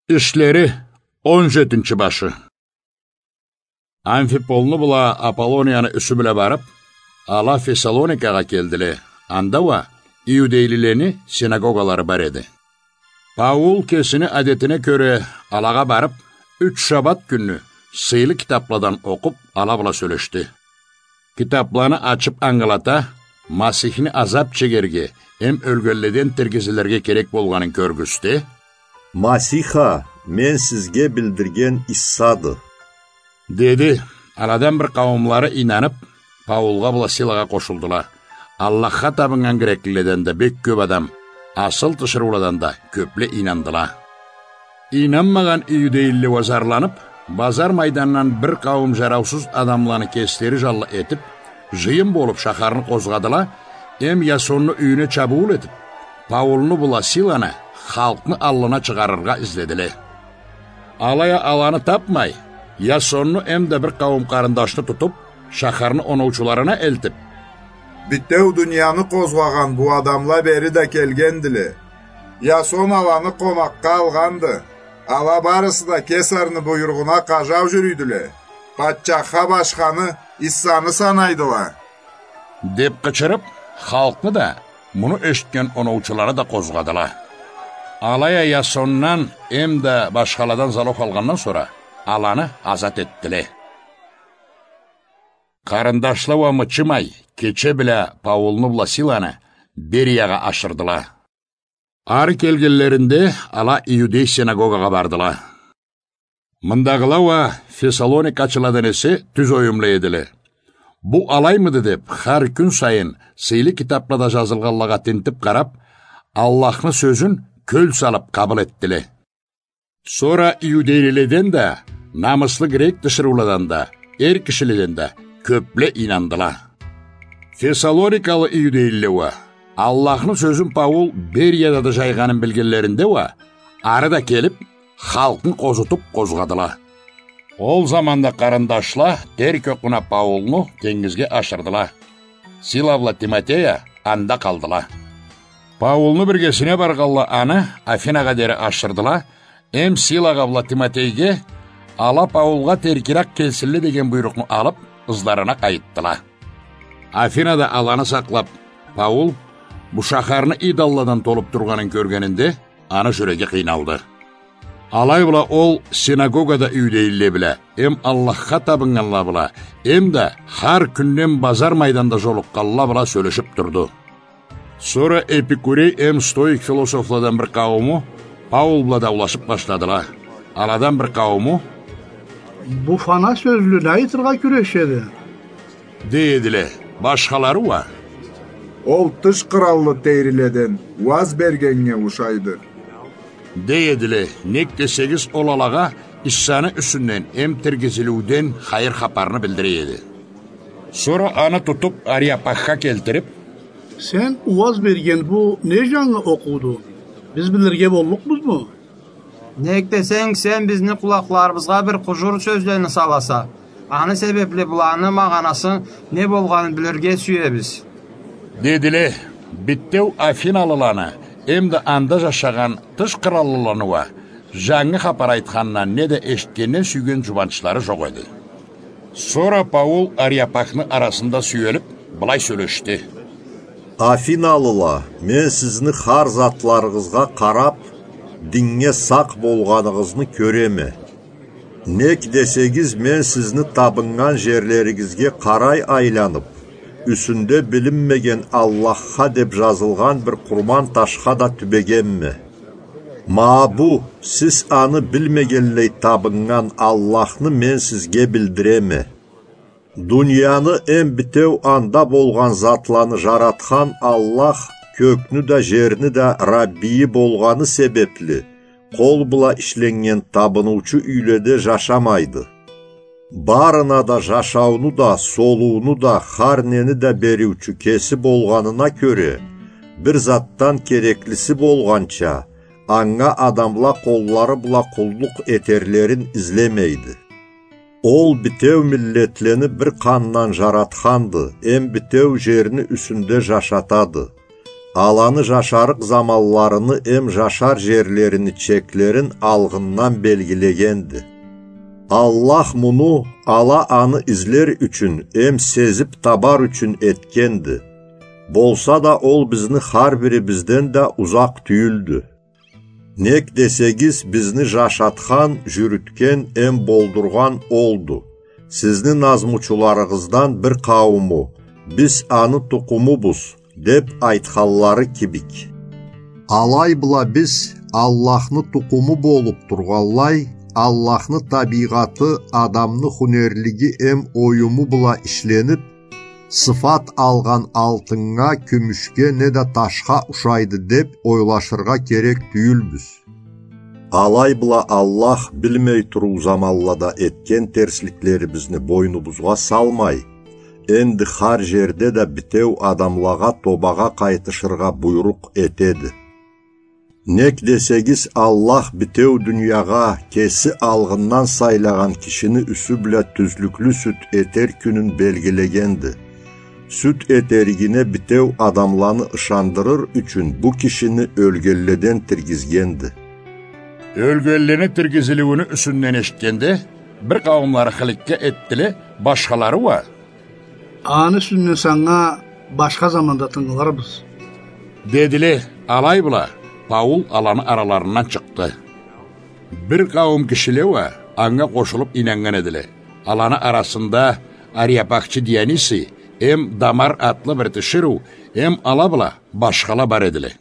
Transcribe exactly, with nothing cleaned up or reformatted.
Ишлери, он жетинчи башы. Амфиполну бла Аполлонияны юсю бла барып, ала Фессалоникагъа келдиле. Анда уа иудейлилени синагогалары бар эди. Паул кесини адетине кёре алагъа барып, юч шабат кюнню сыйлы китапладан окъуп, ала бла сёлешди. Китапланы ачып ангылата, Масихни азап чегерге эм ёлгенледен тиргизилирге керек болгъанын кёргюзте: «Масих а, мен сизге билдирген Иссады», — деди. Аладан бир къауумлары ийнанып, Паулгъа бла Силагъа къошулдула. Аллахха табыннган греклиледен да бек кёп адам, асыл тиширыуладан да кёпле ийнандыла. Ийнанмагъан иудейлиле уа зарланып, базар майдандан бир къауум жараусуз адамланы кеслери жанлы этип, жыйын болуп, шахарны къозгъадыла, эм Ясонну юйюне чабыуул этип, Паулну бла Силаны халкъны аллына чыгъарыргъа изледиле. Алай а аланы тапмай, Ясонну эм да бир къауум къарындашны тутуп, шахарны оноучуларына элтип: «Битеу дунияны къозгъагъан бу адамла бери да келгендиле. Ясон аланы къонакъгъа алгъанды. Ала барысы да Кесарны буйругъуна къажау жюрюйдюле. Патчахха башханы Иссаны санайдыла», — деп къычырып, халкъны да, муну эшитген оноучуланы да къозгъадыла. Алай а Ясондан эм да башхаладан залог алгъандан сора, аланы азат этдиле. Къарындашла уа мычымай, кече бла Паулну бла Силаны Бериягъа ашырдыла. Ары келгенлеринде, ала иудей синагогагъа бардыла. Мындагъыла уа фессалоникачыладан эсе тюз оюмла эдиле. Бу алаймыды деп, хар кюн сайын сыйлы китаплада жазылгъанлагъа тинтип къарап, Аллахны сёзюн кёл салып къабыл этдиле. Сора иудейлиледен да, намыслы грек тиширыуладан да, эр кишиледен да кёпле ийнандыла. Фессалоникалы иудейлиле уа Аллахны сёзюн Паул Берияда да жайгъанын билгенлеринде уа, ары да келип, халкъны къозутуп къозгъадыла. Ол заманда къарындашла терк окъуна Паулну тенгизге ашырдыла. Сила бла Тимотей а анда къалдыла. Паулну биргесине баргъанла аны Афинагъа дери ашырдыла, эм Силагъа бла Тимотейге, ала Паулгъа теркирек келсинле деген буйрукъну алып, ызларына къайтдыла. Афинада аланы сакълап, Паул бу шахарны идолладан толуп тургъанын кёргенинде, аны жюреги къыйналды. Алай бла ол синагогада иудейлиле бла, эм Аллахха табыннганла бла, эм да хар кюнден базар майданда жолукъгъанла бла сёлешип турду. Сора эпикурей эм стоик философладан бир къаууму Паул бла даулашып башладыла. Аладан бир къаууму: «Бу фана сёзлю не айтыргъа кюрешеди?» — дей эдиле. Башхалары уа: «Ол тыш къыраллы тейриледен уаз бергеннге ушайды», — дей эдиле. Нек десегиз, ол алагъа Иссаны юсюнден эм тиргизилиуден хайыр хапарны билдире эди. Сора аны тутуп, Ариапахха келтирип: «Сен уаз берген бу не жангы окъууду? Биз билирге боллукъбузму? Нек десенг, сен бизни къулакъларыбызгъа бир къужур сёзлени саласа, аны себепли буланы магъанасы не болгъанын билирге сюебиз», — дедиле. Битеу афиналыланы эм да анда жашагъан тыш къыраллыланы уа жангы хапар айтхандан неда эшитгенден сюйген жубанчлары жокъ эди. Сора Паул Ариапахны арасында сюелип, былай сёлешди: «Афиналыла, мен сизни хар затларыгъызгъа къарап, диннге сакъ болгъаныгъызны кёреме. Нек десегиз, мен сизни табыннган жерлеригизге къарай айланып, юсюнде билинмеген Аллахха деп жазылгъан бир къурман ташха да тюбегенме. Ма бу, сиз аны билмегенлей табыннган Аллахны мен сизге билдиреме. Дунияны эм битеу анда болгъан затланы жаратхан Аллах кёкню да, жерни да Раббийи болгъаны себепли, къол бла ишленнген табыныучу юйледе жашамайды. Барына да жашауну да, солууну да, хар нени да бериучю кеси болгъанына кёре, бир затдан кереклиси болгъанча, анга адамла къоллары бла къуллукъ этерлерин излемейди. Ол битеу миллетлени бир къандан жаратханды, эм битеу жерни юсюнде жашатады. аланы жашарыкъ заманларыны эм жашар жерлерини чеклерин алгъындан белгилегенди. Аллах муну ала аны излер ючюн эм сезип табар ючюн этгенди. Болса да, ол бизни хар бирибизден да узакъ тюйюлдю. Нек десегиз, бизни жашатхан, жюрютген эм болдургъан олду. Сизни назмучуларыгъыздан бир къаууму: «Биз аны тукъумубуз», — деп айтханлары кибик. Алай бла биз Аллахны тукъуму болуп тургъанлай, Аллахны табийгъаты адамны хунерлиги эм оюму бла ишленип, сыфат алгъан алтыннга, кюмюшге неда ташха ушайды деп ойлашыргъа керек тюйюлбюз. Алай бла Аллах билмей туруу заманлада этген терсликлерибизни бойнубузгъа салмай, энди хар жерде да битеу адамлагъа тобагъа къайтышыргъа буйрукъ этеди. Нек десегиз, Аллах битеу дуниягъа кеси алгъындан сайлагъан кишини юсю бла тюзлюклю сюд этер кюнюн белгилегенди. Сюд этеригине битеу адамланы ышандырыр ючюн бу кишини ёлгенледен тиргизгенди. Ёлгенлени тиргизилиуюню юсюнден эшитгенде, бир къауумлары хыликке этдиле, башхалары уа: «Аны юсюнден санга башха заманда тынгыларбыз», — дедиле. Алай бла Паул аланы араларындан чыкъды. Бир къауум кишиле уа анга къошулуп ийнаннган эдиле. Аланы арасында Ариапахчы Дионисий эм Дамар атлы бир тиширыу эм ала бла башхала бар эдиле.